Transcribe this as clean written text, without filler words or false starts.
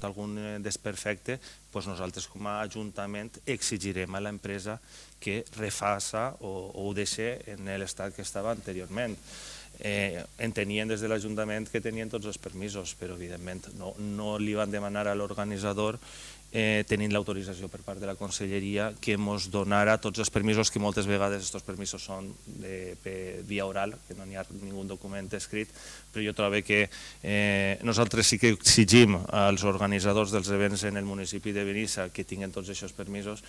algun desperfecte, nosaltres com a Ajuntament exigirem a l'empresa que refaça o ho deixi en l'estat que estava anteriorment. Entenien des de l'Ajuntament que tenien tots els permisos, però evidentment no li van demanar a l'organitzador, tenint l'autorització per part de la Conselleria, que ens donara tots els permisos, que moltes vegades aquests permisos són via oral, que no hi ha ningú document escrit, però jo trobo que nosaltres sí que exigim als organitzadors dels events en el municipi de Benissa que tinguin tots aquests permisos.